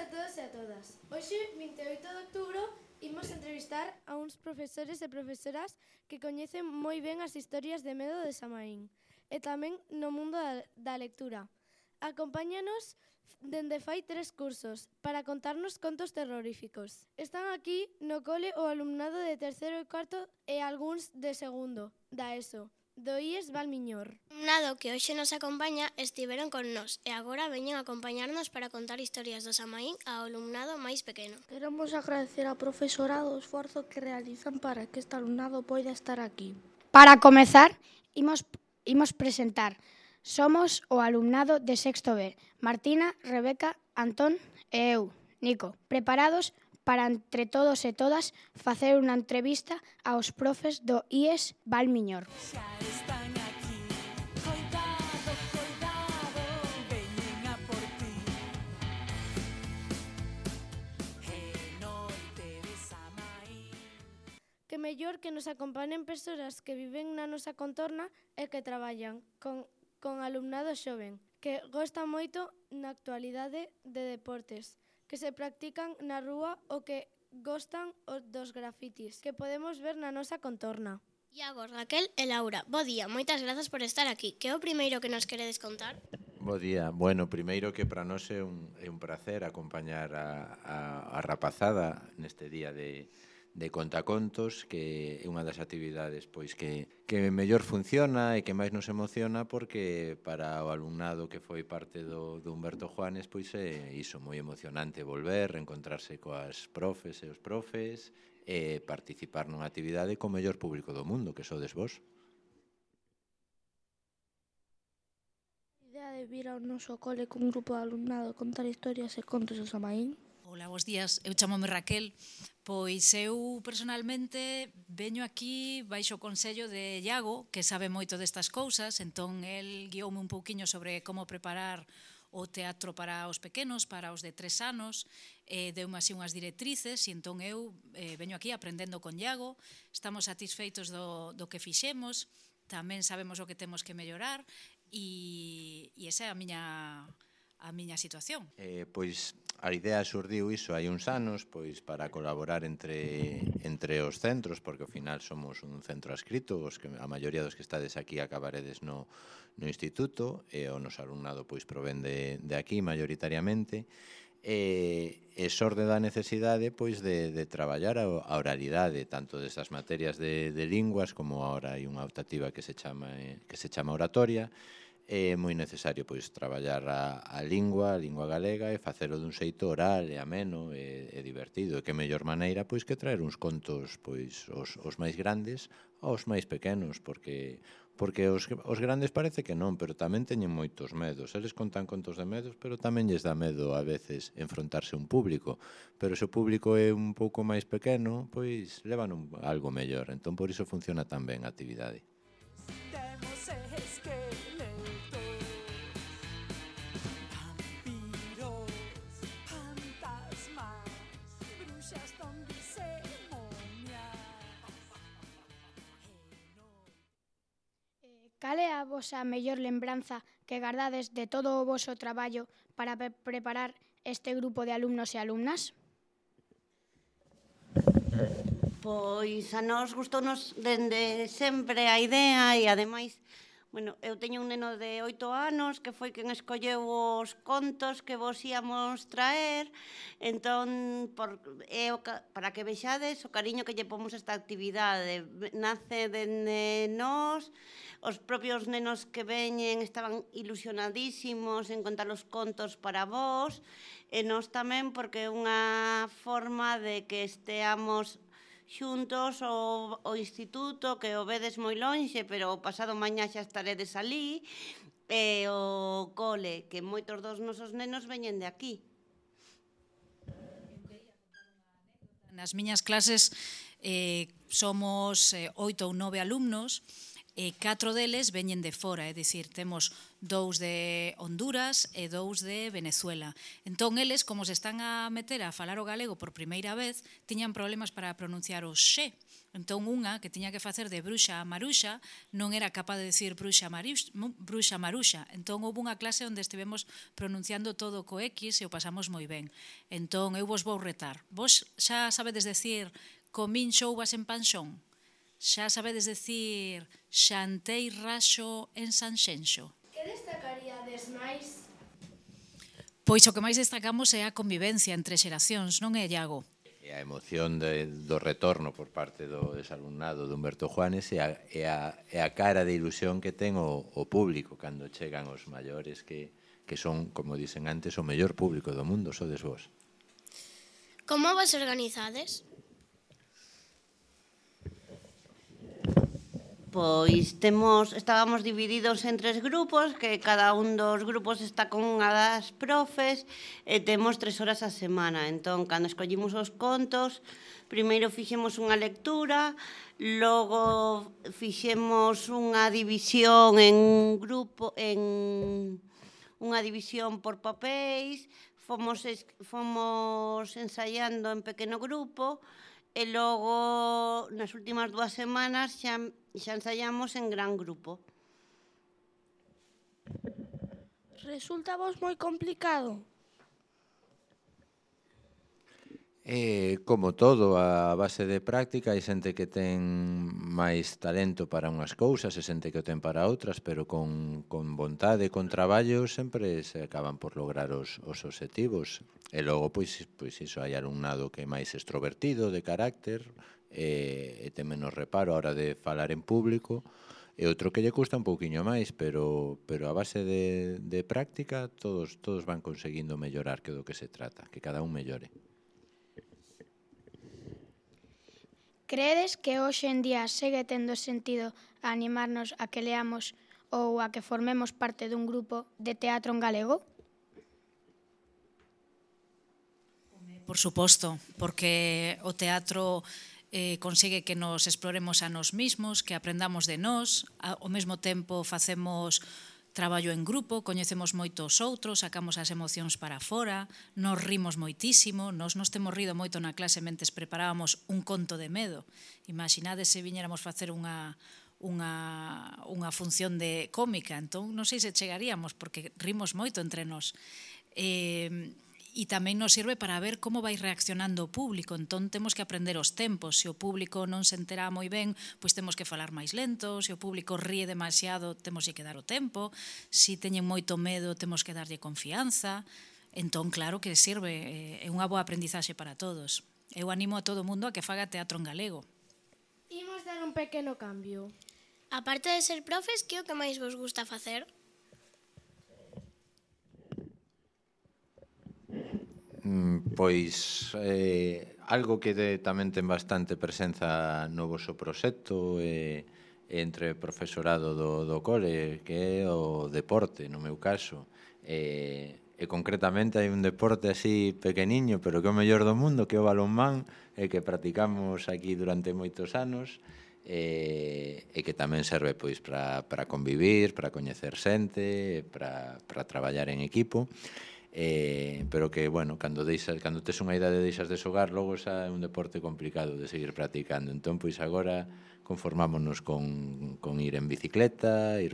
todos e a todas. Hoxe, 28 de outubro, imos entrevistar a uns profesores e profesoras que coñecen moi ben as historias de medo de Samaín e tamén no mundo da lectura. Acompáñanos dende fai 3 cursos para contarnos contos terroríficos. Están aquí no cole o alumnado de terceiro e cuarto e algúns de segundo, da ESO, do IES Valmiñor. O alumnado que hoxe nos acompaña estiveron con nós e agora veñen a acompañarnos para contar historias do Samaín ao alumnado máis pequeno. Queremos agradecer ao profesorado o esforzo que realizan para que este alumnado poida estar aquí. Para comezar, imos presentar. Somos o alumnado de sexto B, Martina, Rebeca, Antón e eu, Nico, preparados para entre todos e todas facer unha entrevista aos profes do IES Valmiñor. Que mellor que nos acompañen persoas que viven na nosa contorna e que traballan con alumnado xoven, que gosta moito na actualidade de deportes, que se practican na rúa ou que gostan dos grafitis, que podemos ver na nosa contorna. Iago, Raquel e Laura, bo día, moitas grazas por estar aquí. Que é o primeiro que nos queredes contar? Bo día. Bueno, primeiro que para nós é un prazer acompañar a rapazada neste día de contacontos, que é unha das actividades pois que mellor funciona e que máis nos emociona, porque para o alumnado que foi parte do Humberto Juanes pois é iso, moi emocionante volver, reencontrarse coas profes e os profes e participar nunha actividade co mellor público do mundo, que sodes vos. A idea de vir ao noso cole cun grupo de alumnado contar historias e contos do Samaín. Ola, bons días, eu chamome Raquel. Pois eu personalmente veño aquí baixo o consello de Iago, que sabe moito destas cousas, entón el guioume un pouquiño sobre como preparar o teatro para os pequenos, para os de 3 anos, deume así unhas directrices, e entón eu veño aquí aprendendo con Iago, estamos satisfeitos do que fixemos, tamén sabemos o que temos que mellorar, e esa é a miña situación. Pois a idea xurdiu iso hai uns anos, pois para colaborar entre os centros, porque ao final somos un centro adscrito, a maioría dos que estades aquí acabaredes no instituto, e o noso alumnado pois provén de aquí maioritariamente, e xorde da necesidade pois de traballar a oralidade, tanto destas materias de linguas, como agora hai unha optativa que se chama oratoria. É moi necesario pois traballar a lingua galega e facelo dun xeito oral e ameno e divertido. E que mellor maneira pois que traer uns contos pois os máis grandes aos máis pequenos, porque os grandes parece que non, pero tamén teñen moitos medos. Eles contan contos de medos, pero tamén lles dá medo a veces enfrontarse a un público. Pero se o público é un pouco máis pequeno, pois levan algo mellor. Entón por iso funciona tan ben a actividade. Cal é a vosa mellor lembranza que gardades de todo o voso traballo para preparar este grupo de alumnos e alumnas? Pois a nós gustounos dende sempre a idea e, ademais, eu teño un neno de 8 anos que foi quen escolleu os contos que vos íamos traer, entón, para que vexades o cariño que lle pomos a esta actividade. Nace dende nós, os propios nenos que veñen estaban ilusionadísimos en contar os contos para vos, e nós tamén, porque é unha forma de que esteamos xuntos o instituto, que o vedes moi lonxe, pero o pasado mañá xa estaredes alí, e o cole, que moitos dos nosos nenos veñen de aquí. Nas miñas clases somos 8 ou 9 alumnos, e 4 deles veñen de fora, é dicir, temos 2 de Honduras e 2 de Venezuela. Entón, eles, como se están a meter a falar o galego por primeira vez, tiñan problemas para pronunciar o xe, Entón, unha que tiña que facer de bruxa a maruxa non era capaz de decir bruxa maruxa. Entón, houve unha clase onde estivemos pronunciando todo co X e o pasamos moi ben. Entón, eu vos vou retar. Vos xa sabedes decir comín xouvas en Panxón? Xa sabedes decir xantei raxo en Sanxenxo? Que destacaríades máis? Pois o que máis destacamos é a convivencia entre xeracións, non é, Iago? E a emoción do retorno por parte do desalumnado de Humberto Juanes e a cara de ilusión que ten o público cando chegan os maiores que son, como dicen antes, o mellor público do mundo, sodes vos. Como vos organizades? Pois estábamos divididos en 3 grupos, que cada un dos grupos está con unha das profes, e temos 3 horas a semana. Entón, cando escollimos os contos, primeiro fixemos unha lectura, logo fixemos unha división en grupo, en unha división por papéis, fomos ensaiando en pequeno grupo, e logo, nas últimas 2 semanas, xa ensaiamos en gran grupo. Resulta vos moi complicado? Como todo, a base de práctica, hai xente que ten máis talento para unhas cousas e xente que o ten para outras, pero con vontade e con traballo sempre se acaban por lograr os obxectivos. E logo, pois iso, hai alumnado que é máis extrovertido, de carácter, e ten menos reparo a hora de falar en público, e outro que lle custa un pouquiño máis, pero a base de práctica todos van conseguindo mellorar, que é do que se trata, que cada un mellore. Creedes que hoxe en día segue tendo sentido a animarnos a que leamos ou a que formemos parte dun grupo de teatro en galego? Por suposto, porque o teatro consigue que nos exploremos a nós mismos, que aprendamos de nós, ao mesmo tempo facemos traballo en grupo, coñecemos moitos outros, sacamos as emocións para fora, nos rimos moitísimo, nos temos rido moito na clase mentes preparábamos un conto de medo. Imaginades se viñéramos facer unha función de cómica, entón non sei se chegaríamos, porque rimos moito entre nós. E tamén nos sirve para ver como vai reaccionando o público, entón temos que aprender os tempos. Se o público non se entera moi ben, pois temos que falar máis lento, se o público ríe demasiado, temos que dar o tempo, se teñen moito medo, temos que darlle confianza. Entón, claro que sirve, é unha boa aprendizaxe para todos. Eu animo a todo o mundo a que faga teatro en galego. Imos dar un pequeno cambio. Aparte de ser profes, que é o que máis vos gusta facer? Pois algo que tamén ten bastante presenza no voso proxecto entre profesorado do cole, que é o deporte, no meu caso. E concretamente hai un deporte así pequeniño, pero que é o mellor do mundo, que é o balonmán, que practicamos aquí durante moitos anos, e que tamén serve pois para convivir, para coñecer xente, para traballar en equipo. Pero que, bueno, cando tes unha idade e deixas de xogar, logo xa é un deporte complicado de seguir practicando. Entón, pois agora conformámonos con ir en bicicleta, ir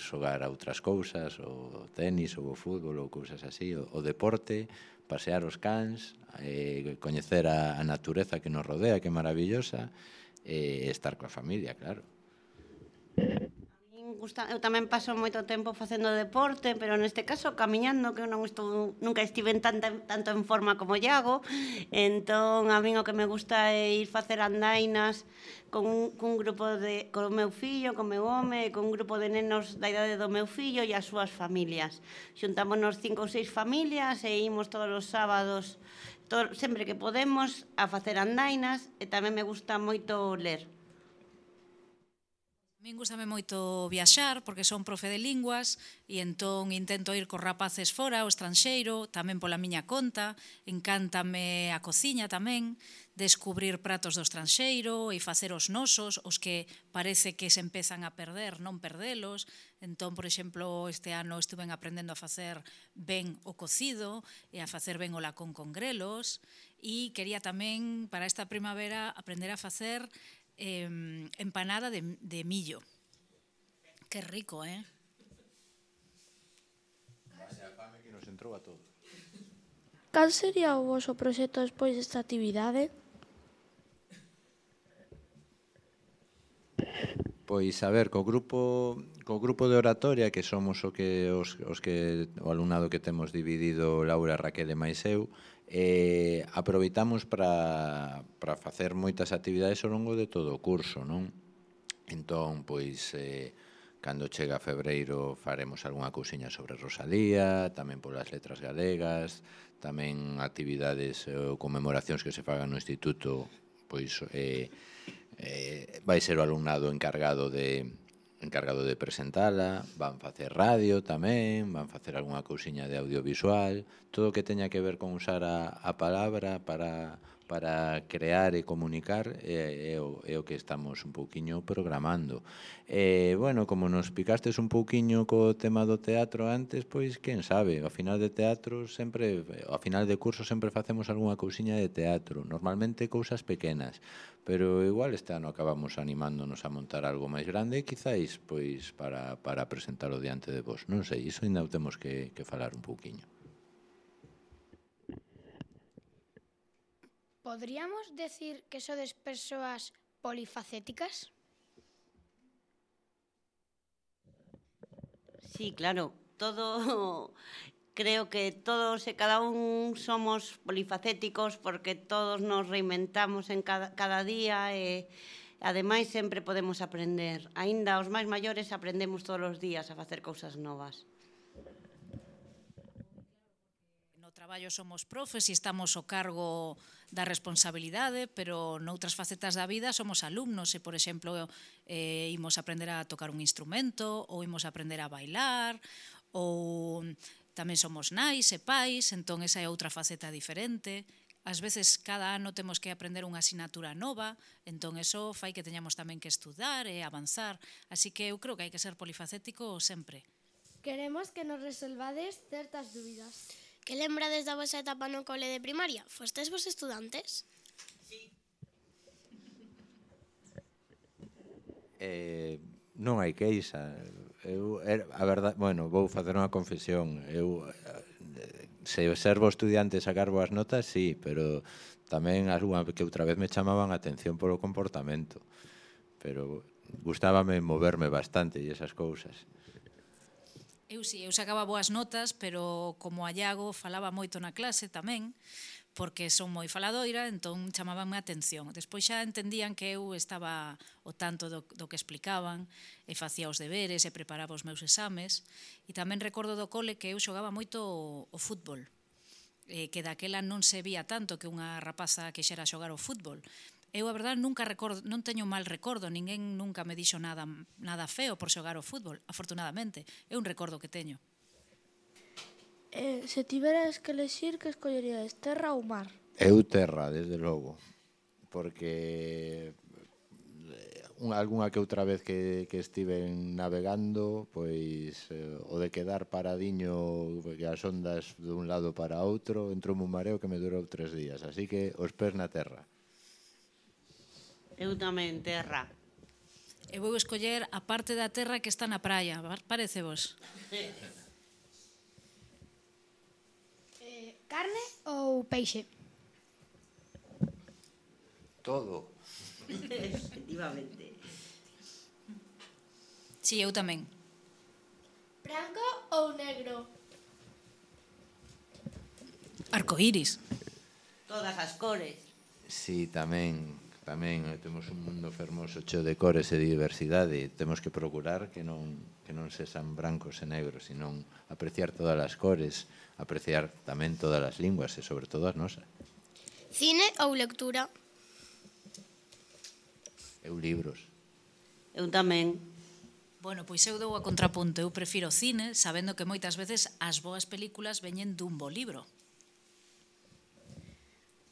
xogar a outras cousas, o tenis, ou o fútbol, ou cousas así, o deporte, pasear os cans, coñecer a natureza que nos rodea, que é maravillosa, e estar coa familia, claro. Eu tamén paso moito tempo facendo deporte, pero neste caso camiñando, que eu nunca estive tanto en forma como Iago. Entón, a min o que me gusta é ir facer andainas con un grupo con o meu fillo, con o meu home, con un grupo de nenos da idade do meu fillo e as súas familias. Xuntámonos 5 ou 6 familias e imos todos os sábados, sempre que podemos, a facer andainas, e tamén me gusta moito ler. A min gustame moito viaxar, porque son profe de linguas, e entón intento ir cos rapaces fora, ao estranxeiro, tamén pola miña conta. Encántame a cociña tamén, descubrir pratos do estranxeiro e facer os nosos, os que parece que se empezan a perder, non perdelos. Entón, por exemplo, este ano estuve aprendendo a facer ben o cocido e a facer ben o lacón con grelos, e quería tamén, para esta primavera, aprender a facer empanada de millo. Que rico, eh? Vaya fame que nos entrou a todos. Cal sería o voso proxecto despois desta actividade? Pois, a ver, co grupo de oratoria, que somos o alumnado que temos dividido Laura, Raquel e máis eu, aproveitamos para facer moitas actividades ao longo de todo o curso, non? Entón, pois, cando chega febreiro faremos algunha cousiña sobre Rosalía, tamén polas letras galegas, tamén actividades ou conmemoracións que se fagan no instituto, pois vai ser o alumnado encargado de presentala, van facer radio tamén, van facer algunha cousiña de audiovisual, todo o que teña que ver con usar a palabra para crear e comunicar é o que estamos un pouquiño programando. Bueno, como nos picastes un pouquiño co tema do teatro antes, pois, quen sabe, ao final de curso sempre facemos algunha cousiña de teatro, normalmente cousas pequenas, pero igual este ano acabamos animándonos a montar algo máis grande, quizáis, pois, para presentalo diante de vos. Non sei, iso ainda o temos que falar un pouquiño. Podríamos decir que sodes persoas polifacéticas? Sí, claro, creo que todos e cada un somos polifacéticos porque todos nos reinventamos en cada día e ademais sempre podemos aprender. Aínda os máis maiores aprendemos todos os días a facer cousas novas. No traballo somos profes e estamos ao cargo da responsabilidade, pero noutras facetas da vida somos alumnos e, por exemplo, imos aprender a tocar un instrumento ou imos aprender a bailar ou tamén somos nais e pais, entón esa é outra faceta diferente. Ás veces cada ano temos que aprender unha asignatura nova, entón eso fai que teñamos tamén que estudar e avanzar, así que eu creo que hai que ser polifacético sempre. Queremos que nos resolvades certas dúbidas. Que lembrades da vosa etapa no cole de primaria? Fostes vos estudantes? Non hai queixa. A verdade, bueno, vou facer unha confesión. Se servo estudiante e sacar boas notas, sí, pero tamén algunha que outra vez me chamaban a atención polo comportamento. Pero gustábame moverme bastante e esas cousas. Eu sacaba boas notas, pero como a Iago falaba moito na clase tamén, porque son moi faladoira, entón chamabanme a atención. Despois xa entendían que eu estaba ao tanto do que explicaban, e facía os deberes e preparaba os meus exames. E tamén recordo do cole que eu xogaba moito o fútbol, que daquela non se vía tanto que unha rapaza quixera xogar o fútbol. Eu, a verdade, non teño mal recordo, ninguén nunca me dixo nada feo por xogar o fútbol, afortunadamente. É un recordo que teño. Se tiveras que elexir, que escollerías, terra ou mar? Eu terra, desde logo, porque algunha que outra vez que estive navegando, pois o de quedar paradiño que as ondas dun lado para outro, entrou un mareo que me durou 3 días, así que os pés na terra. Eu tamén, terra. E vou escoller a parte da terra que está na praia, parece vos? Carne ou peixe? Todo. Efectivamente. Sí, eu tamén. Branco ou negro? Arcoíris. Todas as cores. Sí, tamén temos un mundo fermoso cheo de cores e diversidade. Temos que procurar que non sexan brancos e negros, senón apreciar todas as cores, apreciar tamén todas as linguas e sobre todo as nosas. Cine ou lectura? Eu libros. Eu tamén. Bueno, pois eu dou a contrapunto. Eu prefiro cine, sabendo que moitas veces as boas películas veñen dun bo libro.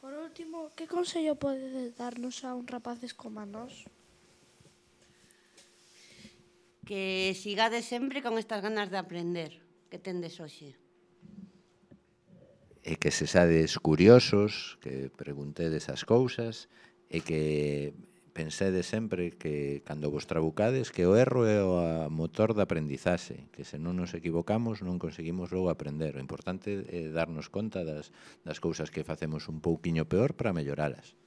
Por último, que consello podedes darnos a un rapaces como a nós? Que sigades sempre con estas ganas de aprender que tendes hoxe. E que se sades curiosos, que preguntedes as cousas, e que pensede sempre que cando vos trabucades que o erro é o motor da aprendizaxe, que se non nos equivocamos non conseguimos logo aprender. O importante é darnos conta das cousas que facemos un pouquiño peor para melloralas.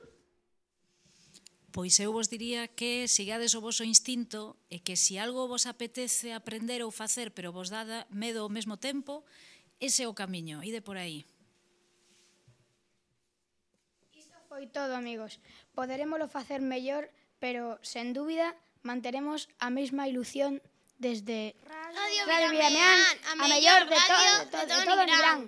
Pois eu vos diría que sigades o voso instinto e que se algo vos apetece aprender ou facer pero vos dá medo ao mesmo tempo, ese é o camiño, ide por aí. Foi todo, amigos. Poderémolo facer mellor, pero, sen dúbida, manteremos a mesma ilusión desde Radio Radio Vilameán, Vilameán, a mellor de todo en Irán.